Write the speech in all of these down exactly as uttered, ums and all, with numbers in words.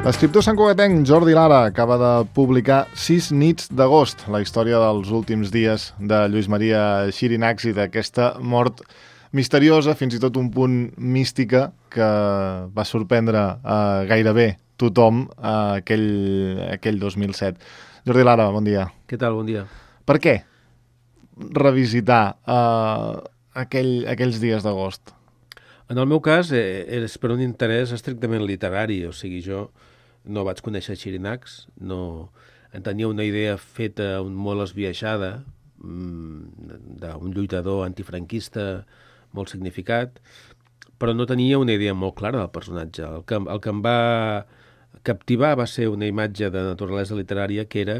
L'escriptor santcugatenc Jordi Lara acaba de publicar Sis nits d'agost, la història dels últims dies de Lluís Maria Xirinacs i d'aquesta mort misteriosa, fins i tot un punt mística, que va sorprendre eh, gairebé tothom eh, aquell, aquell dos mil set. Jordi Lara, bon dia. Què tal? Bon dia. Per què revisitar eh, aquell, aquells dies d'agost? En el meu cas, eh, és per un interès estrictament literari, o sigui, jo no vaig conèixer Xirinacs, no en tenia una idea feta molt esbiaixada, d'un lluitador antifranquista molt significat, però no tenia una idea molt clara del personatge. El que, el que em va captivar va ser una imatge de naturalesa literària, que era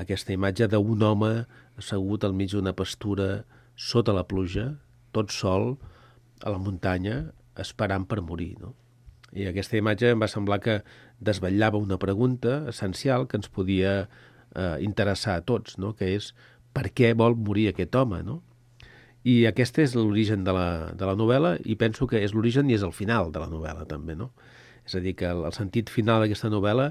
aquesta imatge d'un home assegut al mig d'una pastura sota la pluja, tot sol, a la muntanya, esperant per morir, no? I aquesta imatge em va semblar que desvetllava una pregunta essencial que ens podia eh, interessar a tots, no? Que és per què vol morir aquest home, no? I aquest és l'origen de, la, de la novel·la, i penso que és l'origen i és el final de la novel·la també, no? És a dir, que el, el sentit final d'aquesta novel·la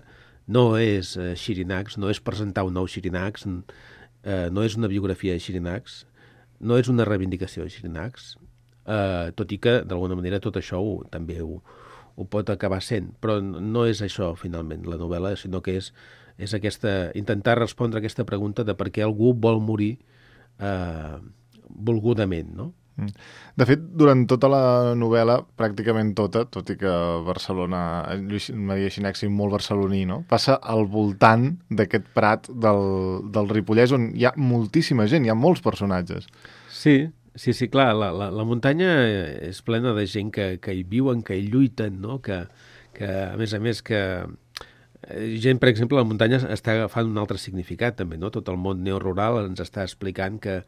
no és eh, Xirinacs, no és presentar un nou Xirinacs, eh, no és una biografia de Xirinacs, no és una reivindicació de Xirinacs, eh, tot i que d'alguna manera tot això ho, també ho, ho pot acabar sent, però no és això finalment la novel·la, sinó que és, és aquesta, intentar respondre a aquesta pregunta de per què algú vol morir eh, volgudament, no? De fet, durant tota la novel·la, pràcticament tota, tot i que Barcelona, Lluís Maria Xirinacs és molt barceloní, no? Passa al voltant d'aquest prat del, del Ripollès, on hi ha moltíssima gent, hi ha molts personatges. Sí, sí, sí, clar, la, la, la muntanya és plena de gent que, que hi viuen, que hi lluiten, no? Que, que a més a més, que gent, per exemple, la muntanya està agafant un altre significat també, no? Tot el món neorural ens està explicant que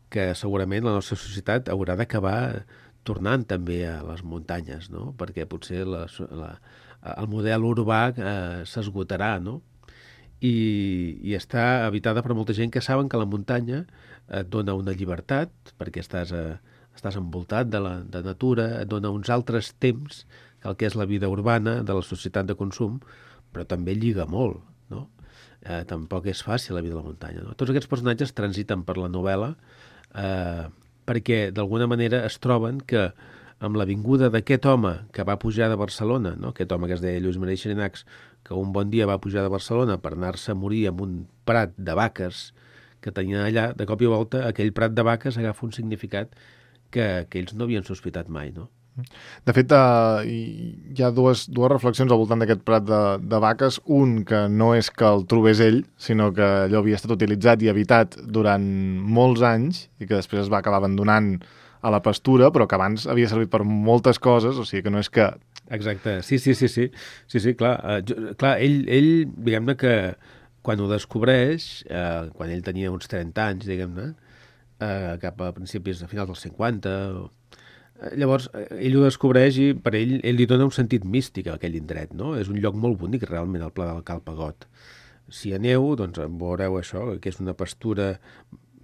que segurament la nostra societat haurà d'acabar tornant també a les muntanyes, no? Perquè potser la, la, el model urbà eh, s'esgotarà, no? I, i està habitada per molta gent que saben que la muntanya et dona una llibertat, perquè estàs, a, estàs envoltat de la de natura, et dona uns altres temps que el que és la vida urbana de la societat de consum, però també lliga molt, no? Eh, tampoc és fàcil la vida de la muntanya, no? Tots aquests personatges transiten per la novel·la Eh, perquè d'alguna manera es troben que amb la vinguda d'aquest home que va pujar de Barcelona, no? Aquest home que es deia Lluís Maria Xirinacs, que un bon dia va pujar de Barcelona per anar-se a morir en un prat de vaques que tenien allà, de cop i volta aquell prat de vaques agafa un significat que, que ells no havien sospitat mai, no? De fet, uh, hi ha dues, dues reflexions al voltant d'aquest prat de, de vaques. Un, que no és que el trobés ell, sinó que allò havia estat utilitzat i habitat durant molts anys i que després es va acabar abandonant a la pastura, però que abans havia servit per moltes coses, o sigui que no és que... Exacte, sí, sí, sí, sí, sí, sí clar. Uh, jo, clar, ell, ell diguem-ne que quan ho descobreix, uh, quan ell tenia uns trenta anys, diguem-ne, uh, cap a principis, a finals dels cinquanta... Llavors, ell ho descobreix i per ell, ell li dona un sentit místic a aquell indret, no? És un lloc molt bonic, realment, el Pla del Cal Pagot. Si aneu, doncs veureu això, que és una pastura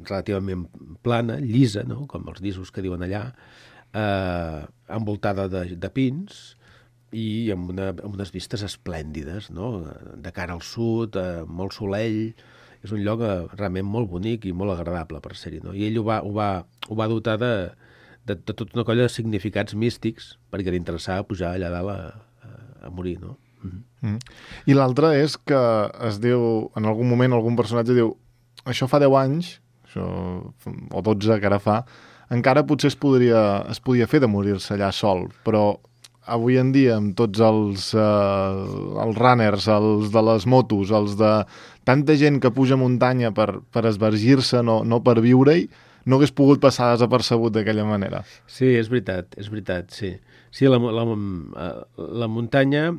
relativament plana, llisa, no? Com els llisos que diuen allà, eh, envoltada de, de pins i amb, una, amb unes vistes esplèndides, no? De cara al sud, eh, molt solell. És un lloc eh, realment molt bonic i molt agradable per ser-hi, no? I ell ho va, ho va, ho va dotar de... De, de tota una colla de significats místics perquè li interessava pujar allà dalt a, a, a morir, no? Mm-hmm. Mm. I l'altre és que es diu, en algun moment algun personatge diu, això fa deu anys, això, o dotze que ara fa, encara potser es podria, es podia fer de morir-se allà sol, però avui en dia amb tots els, eh, els runners, els de les motos, els de tanta gent que puja muntanya per, per esvergir-se, no, no per viure-hi, no hagués pogut passar desapercebut d'aquella manera. Sí, és veritat, és veritat, sí. Sí, la, la, la muntanya...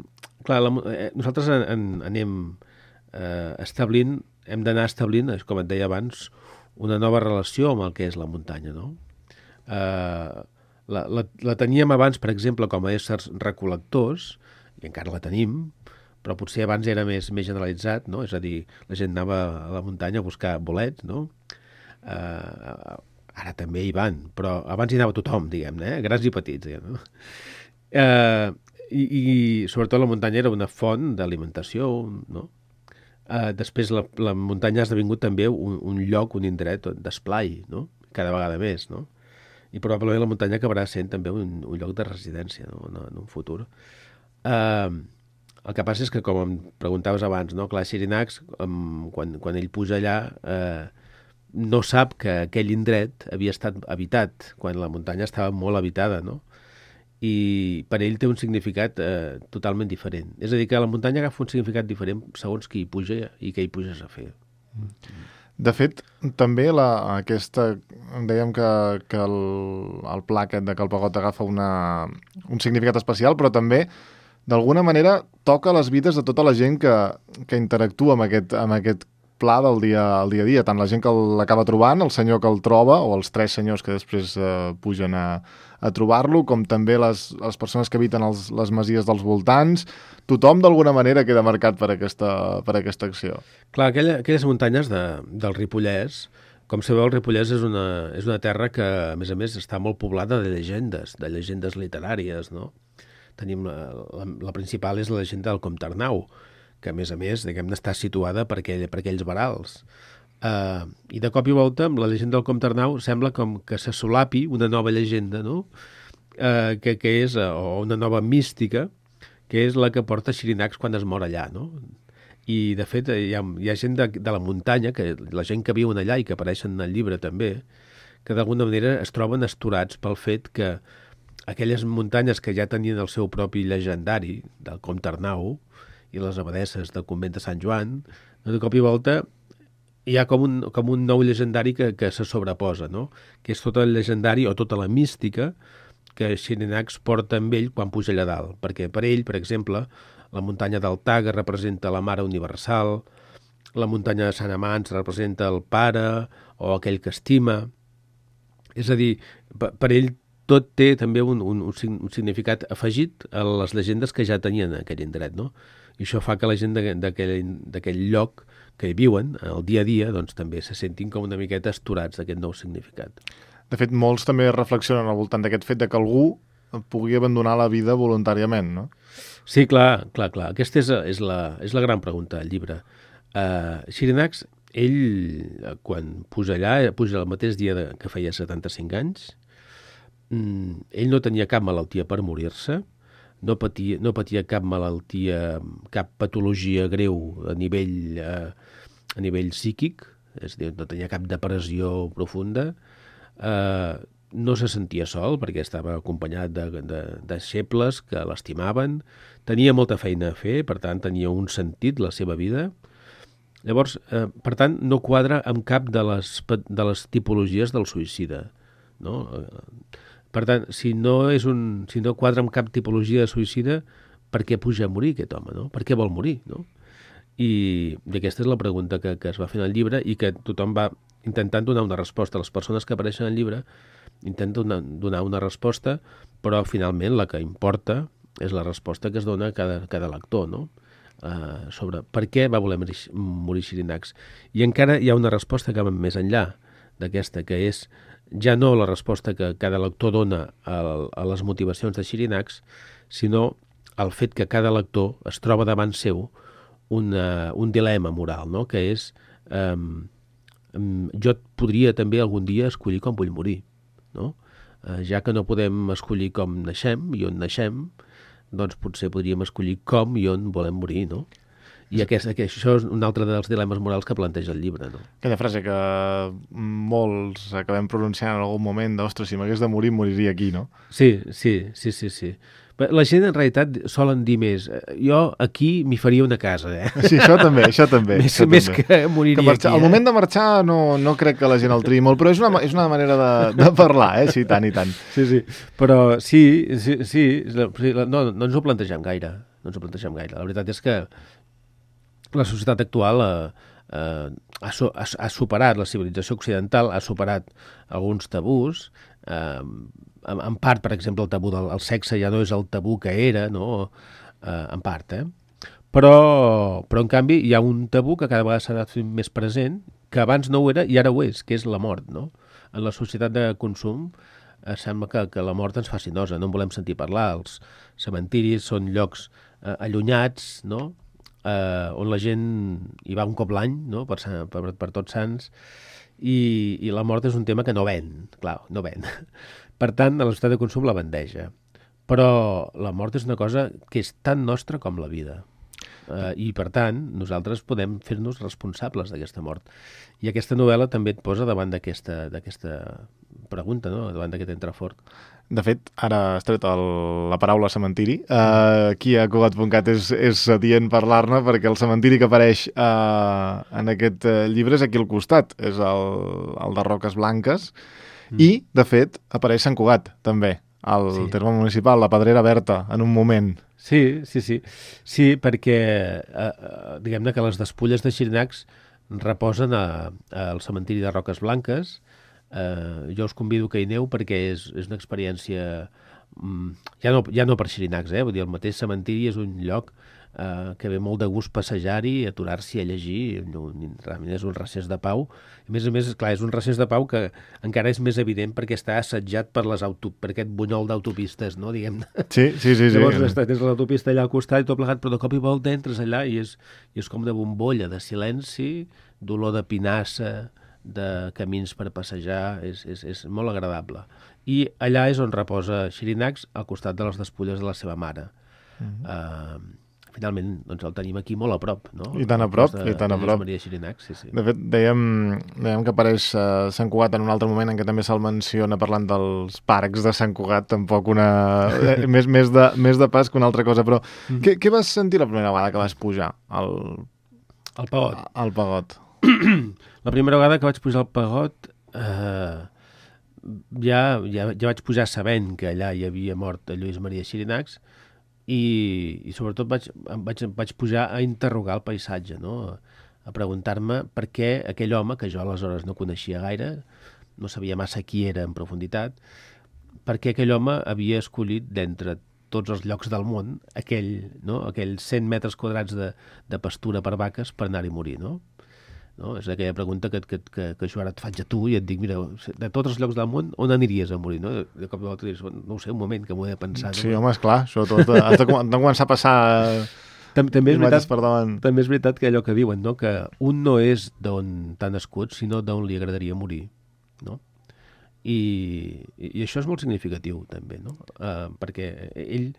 Clar, la, nosaltres en, en, anem eh, establint, hem d'anar establint, com et deia abans, una nova relació amb el que és la muntanya, no? Eh, la, la, la teníem abans, per exemple, com a éssers recol·lectors, i encara la tenim, però potser abans era més, més generalitzat, no? És a dir, la gent anava a la muntanya a buscar bolets, no? Uh, ara també hi van, però abans hi anava tothom, diguem-ne, eh? Grans i petits, diguem-ne. Uh, I, i sobretot la muntanya era una font d'alimentació, no? Uh, després la, la muntanya ha esdevingut també un, un lloc, un indret d'esplai, no? Cada vegada més, no? I probablement la muntanya acabarà sent també un, un lloc de residència, no? En, en un futur. Uh, el que passa és que, com em preguntaves abans, no? Clar, Xirinacs, um, quan, quan ell puja allà, uh, no sap que aquell indret havia estat habitat, quan la muntanya estava molt habitada, no? I per ell té un significat eh, totalment diferent. És a dir, que la muntanya agafa un significat diferent segons qui hi puja i què hi puges a fer. De fet, també la, aquesta... Dèiem que, que el, el pla aquest de Calpagot agafa una, un significat especial, però també, d'alguna manera, toca les vides de tota la gent que, que interactua amb aquest, amb aquest pla del dia, al dia a dia. Tant la gent que l'acaba trobant, el senyor que el troba, o els tres senyors que després eh, pugen a, a trobar-lo, com també les, les persones que habiten els, les masies dels voltants. Tothom, d'alguna manera, queda marcat per aquesta, per aquesta acció. Clar, aquella, aquelles muntanyes de, del Ripollès, com sabeu, el Ripollès és una, és una terra que, a més a més, està molt poblada de llegendes, de llegendes literàries, no? Tenim la, la, la principal és la llegenda del Comte Arnau, que, a més a més, diguem-ne, està situada per, aquell, per aquells verals. Uh, I de cop i volta, amb la llegenda del Comte Arnau, sembla com que se solapi una nova llegenda, no? Uh, que, que és, uh, o una nova mística, que és la que porta Xirinacs quan es mor allà, no? I, de fet, hi ha, hi ha gent de, de la muntanya, que la gent que viuen allà i que apareixen en el llibre també, que d'alguna manera es troben astorats pel fet que aquelles muntanyes que ja tenien el seu propi llegendari, del Comte Arnau, i les abadesses del convent de Sant Joan, de cop i volta hi ha com un, com un nou llegendari que, que se sobreposa, no? Que és tot el llegendari o tota la mística que Xirinacs porta amb ell quan puja allà dalt. Perquè per ell, per exemple, la muntanya del Taga representa la Mare Universal, la muntanya de Sant Amants representa el Pare o aquell que estima. És a dir, per, per ell tot té també un, un, un significat afegit a les llegendes que ja tenien en aquell indret, no? I això fa que la gent d'aquell lloc que hi viuen, el dia a dia, doncs també se sentin com una miqueta astorats d'aquest nou significat. De fet, molts també reflexionen al voltant d'aquest fet de que algú pugui abandonar la vida voluntàriament, no? Sí, clar, clar, clar. Aquesta és, és, la, és la gran pregunta del llibre. Uh, Xirinacs, ell, quan puja allà, puja el mateix dia de, que feia setanta-cinc anys, mm, ell no tenia cap malaltia per morir-se, no patia, no patia cap malaltia, cap patologia greu a nivell, eh, a nivell psíquic, és a dir, no tenia cap depressió profunda, eh, no se sentia sol perquè estava acompanyat de, de, de deixebles que l'estimaven, tenia molta feina a fer, per tant tenia un sentit la seva vida. Llavors, eh, per tant, no quadra amb cap de les, de les tipologies del suïcida, no? Per tant, si no, és un, si no quadra amb cap tipologia de suïcida, per què puja a morir aquest home, no? Per què vol morir, no? I, i aquesta és la pregunta que, que es va fer en el llibre i que tothom va intentant donar una resposta. Les persones que apareixen al llibre intenten donar, donar una resposta, però finalment la que importa és la resposta que es dona a cada, cada lector, no? Uh, sobre per què va voler morir, morir Xirinacs. I encara hi ha una resposta que va més enllà d'aquesta, que és ja no la resposta que cada lector dona a, a les motivacions de Xirinacs, sinó el fet que cada lector es troba davant seu una, un dilema moral, no? Que és um, um, jo podria també algun dia escollir com vull morir, no? Uh, ja que no podem escollir com naixem i on naixem, doncs potser podríem escollir com i on volem morir, no? I aquest, aquest, això és un altre dels dilemes morals que planteja el llibre, no? Aquella frase que molts acabem pronunciant en algun moment, d'ostres, si m'hagués de morir, moriria aquí, no? Sí, sí, sí, sí, sí. La gent en realitat solen dir més, jo aquí m'hi faria una casa, eh? Sí, això també, això també. Més, això més també. que moriria que marxar, aquí, eh? Al moment de marxar no, no crec que la gent el triï molt, però és una, és una manera de, de parlar, eh? Sí, tant i tant. Sí, sí, però sí, sí, sí no, no ens ho plantegem gaire, no ens ho plantegem gaire. La veritat és que la societat actual eh, eh, ha, so, ha, ha superat, la civilització occidental ha superat alguns tabús, eh, en, en part, per exemple, el tabú del el sexe ja no és el tabú que era, no? Eh, en part, eh? Però, però, en canvi, hi ha un tabú que cada vegada s'ha anat fent més present, que abans no ho era i ara ho és, que és la mort, no? En la societat de consum, eh, sembla que, que la mort ens faci nosa, no en volem sentir parlar. Els cementiris són llocs eh, allunyats, no?, eh, on la gent hi va un cop l'any, no?, per, per, per Tots Sants, i, i la mort és un tema que no ven, clar, no ven. Per tant, a la societat de consum la bandeja. Però la mort és una cosa que és tan nostra com la vida. Uh, I, per tant, nosaltres podem fer-nos responsables d'aquesta mort. I aquesta novel·la també et posa davant d'aquesta d'aquesta pregunta, no?, davant d'aquest entrefort. De fet, ara has tret el, la paraula cementiri. Uh, aquí a Cugat punt cat és, és adient parlar-ne, perquè el cementiri que apareix uh, en aquest uh, llibre és aquí al costat. És el, el de Roques Blanques. Mm. I, de fet, apareix Sant Cugat, també, al sí. terme municipal, la Pedrera Berta, en un moment. Sí, sí, sí. Sí, perquè eh, diguem-ne que les despulles de Xirinacs reposen a, a, al cementiri de Roques Blanques. Eh, jo us convido que hi aneu perquè és, és una experiència mm, ja, no, ja no per Xirinacs, eh? Vull dir, el mateix cementiri és un lloc eh, que ve molt de gust passejar-hi, aturar-s'hi a llegir. Realment és un recés de pau. A més a més, clar, és un recés de pau que encara és més evident perquè està assetjat per, les auto, per aquest bunyol d'autopistes, no?, diguem-ne. Sí, sí, sí. Llavors sí. tens l'autopista allà al costat i tot plegat, però de cop i volta entres allà i és, i és com de bombolla, de silenci, d'olor de pinassa, de camins per passejar, és, és, és molt agradable. I allà és on reposa Xirinacs, al costat de les despulles de la seva mare. Mm-hmm. uh, Finalment, doncs el tenim aquí molt a prop, no? I tan a prop, de, i tan a prop. Maria Xirinacs, sí, sí. De fet, dèiem, dèiem que apareix uh, Sant Cugat en un altre moment en què també se'l menciona parlant dels parcs de Sant Cugat, tampoc una... eh, més, més, de, més de pas que una altra cosa, però mm. què, què vas sentir la primera vegada que vas pujar al... Al Pagot. Al Pagot. La primera vegada que vaig pujar al Pagot eh, ja, ja, ja vaig pujar sabent que allà hi havia mort Lluís Maria Xirinacs, i, i sobretot vaig, vaig, vaig pujar a interrogar el paisatge, no?, a preguntar-me per què aquell home, que jo aleshores no coneixia gaire, no sabia massa qui era en profunditat, per què aquell home havia escollit d'entre tots els llocs del món aquell, no?, aquells cent metres quadrats de, de pastura per vaques per anar-hi a morir, no? No? És aquella pregunta que, que, que, que jo ara et faig a tu i et dic, mira, de tots els llocs del món, on aniries a morir? No? De cop i volta dius, no ho sé, un moment que m'ho he de pensar. Sí, no? home, esclar, això tot, has de, de començar a passar Tam també, és veritat, per davant. També és veritat que allò que diuen, no? Que un no és d'on t'ha nascut, sinó d'on li agradaria morir, no? I, i això és molt significatiu, també, no? Uh, perquè ell,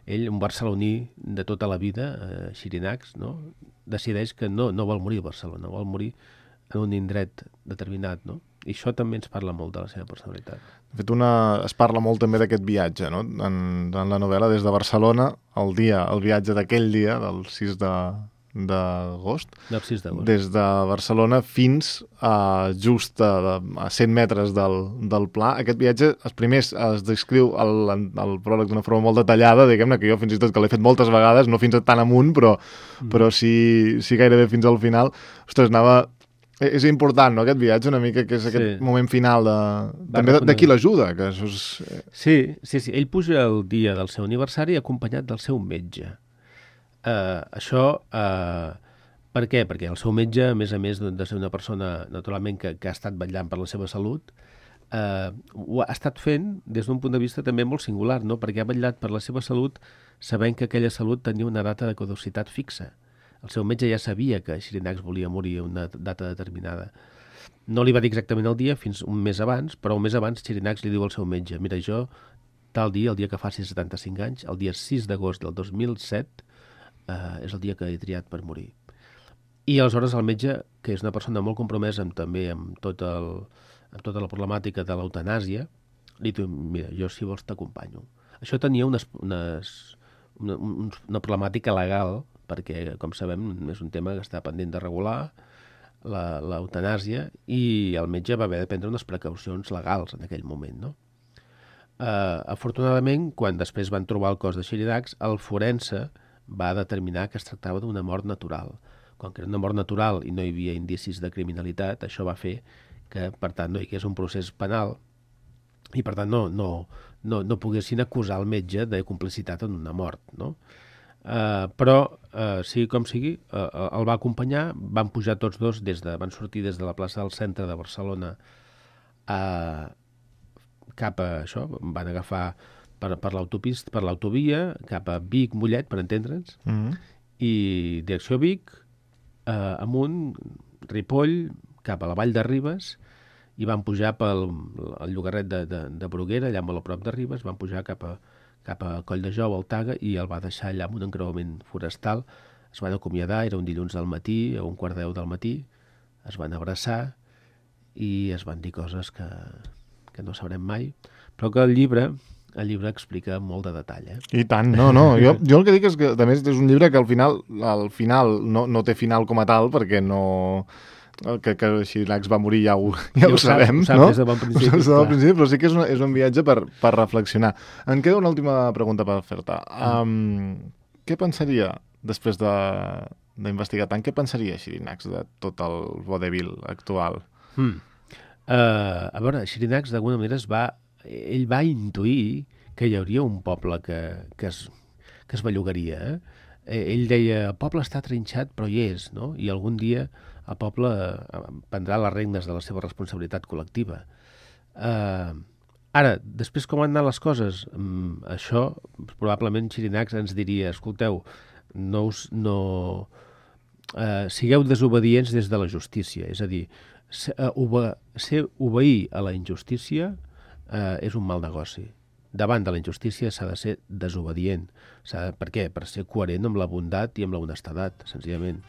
ell, un barceloní de tota la vida, uh, Xirinacs, no?, decideix que no, no vol morir a Barcelona, vol morir en un indret determinat, no? I això també ens parla molt de la seva personalitat. De fet, una, es parla molt també d'aquest viatge, no?, en, en la novel·la, des de Barcelona, el dia, el viatge d'aquell dia, del sis d'agost, del sis d'agost, des de Barcelona fins a just a, a cent metres del, del Pla. Aquest viatge, els primers es descriu el, el pròleg d'una forma molt detallada, diguem-ne, que jo fins i tot que l'he fet moltes vegades, no fins a tan amunt, però, mm. però sí, sí gairebé fins al final. Ostres, anava... És important, no?, aquest viatge, una mica, que és aquest sí. moment final de... també de, de qui l'ajuda, que això és... Sí, sí, sí. Ell puja el dia del seu aniversari acompanyat del seu metge. Uh, això, uh, per què? Perquè el seu metge, a més a més de ser una persona, naturalment, que, que ha estat vetllant per la seva salut, uh, ho ha estat fent des d'un punt de vista també molt singular, no?, perquè ha vetllat per la seva salut sabent que aquella salut tenia una data de caducitat fixa. El seu metge ja sabia que Xirinacs volia morir a una data determinada. No li va dir exactament el dia, fins un mes abans, però un mes abans Xirinacs li diu al seu metge, mira, jo, tal dia, el dia que faci setanta-cinc anys, el dia sis d'agost del dos mil set, eh, és el dia que he triat per morir. I aleshores el metge, que és una persona molt compromesa amb, també amb, tot el, amb tota la problemàtica de l'eutanàsia, li diu, mira, jo si vols t'acompanyo. Això tenia unes, unes, una, una problemàtica legal, perquè, com sabem, és un tema que està pendent de regular, l'eutanàsia, i el metge va haver de prendre unes precaucions legals en aquell moment, no? Uh, afortunadament, quan després van trobar el cos de Xirinacs, el forense va determinar que es tractava d'una mort natural. Com que era una mort natural i no hi havia indicis de criminalitat, això va fer que, per tant, no hi hagués un procés penal i, per tant, no, no, no, no poguessin acusar el metge de complicitat en una mort, no? Uh, però, uh, sigui com sigui, uh, el va acompanyar, van pujar tots dos, des de, van sortir des de la plaça del centre de Barcelona a cap a això, van agafar per, per l'autopista, per l'autovia, cap a Vic, Mollet, per entendre'ns, Mm-hmm. i direcció Vic, eh, amunt, Ripoll, cap a la Vall de Ribes, i van pujar pel el llogarret de, de, de Bruguera, allà molt a prop de Ribes, van pujar cap a, cap a Coll de Jou, al Taga, i el va deixar allà amb un encreuament forestal. Es van acomiadar, era un dilluns al matí, a un quart deu del matí, es van abraçar i es van dir coses que, que no sabrem mai, però que el llibre, el llibre explica molt de detall. Eh? I tant, no, no. Jo, jo el que dic és que, a més, és un llibre que al final, al final no, no té final com a tal, perquè no... que, que Xirinacs va morir ja ho, ja Ja ho, ho sap, sabem, ho sap no? des de bon principi, Ho saps des de clar. bon principi, però sí que és, una, és un viatge per, per reflexionar. Em queda una última pregunta per fer-te. Um, què pensaria, després de d'investigar tant, què pensaria Xirinacs de tot el vodevil actual? Hmm. Uh, a veure, Xirinacs d'alguna manera es va, ell va intuir que hi hauria un poble que, que, es, que es bellugaria. Eh? Ell deia, el poble està trinxat però hi és, no? I algun dia el poble prendrà les regnes de la seva responsabilitat col·lectiva. Uh, ara, després com han anat les coses, um, això probablement Xirinacs ens diria, escolteu, no, us, no uh, sigueu desobedients des de la justícia, és a dir, ser, uh, obe ser obeir a la injustícia uh, és un mal negoci. Davant de la injustícia s'ha de ser desobedient. De, per què? Per ser coherent amb la bondat i amb la honestedat, senzillament.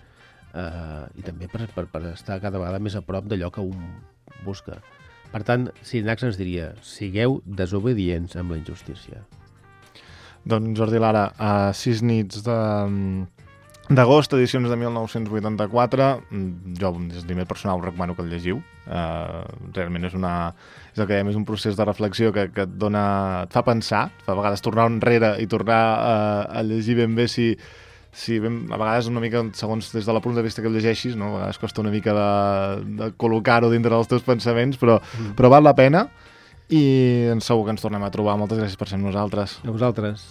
Uh, I també per, per, per estar cada vegada més a prop d'allò que un busca. Per tant, Xirinacs ens diria, sigueu desobedients amb la injustícia. Doncs Jordi Lara, a sis nits de... d'agost, edicions de mil nou-cents vuitanta-quatre, jo des de nivell personal us recomano que el llegiu. Uh, realment és una és el que dèiem, és un procés de reflexió que, que et dona, et fa pensar, et fa a vegades tornar enrere i tornar uh, a llegir ben bé si, si ben, a vegades una mica segons des de la punt de vista que el llegeixis, no? A vegades costa una mica de, de col·locar-ho dintre dels teus pensaments, però, mm. però val la pena i segur que ens tornem a trobar. Moltes gràcies per ser amb nosaltres. A vosaltres.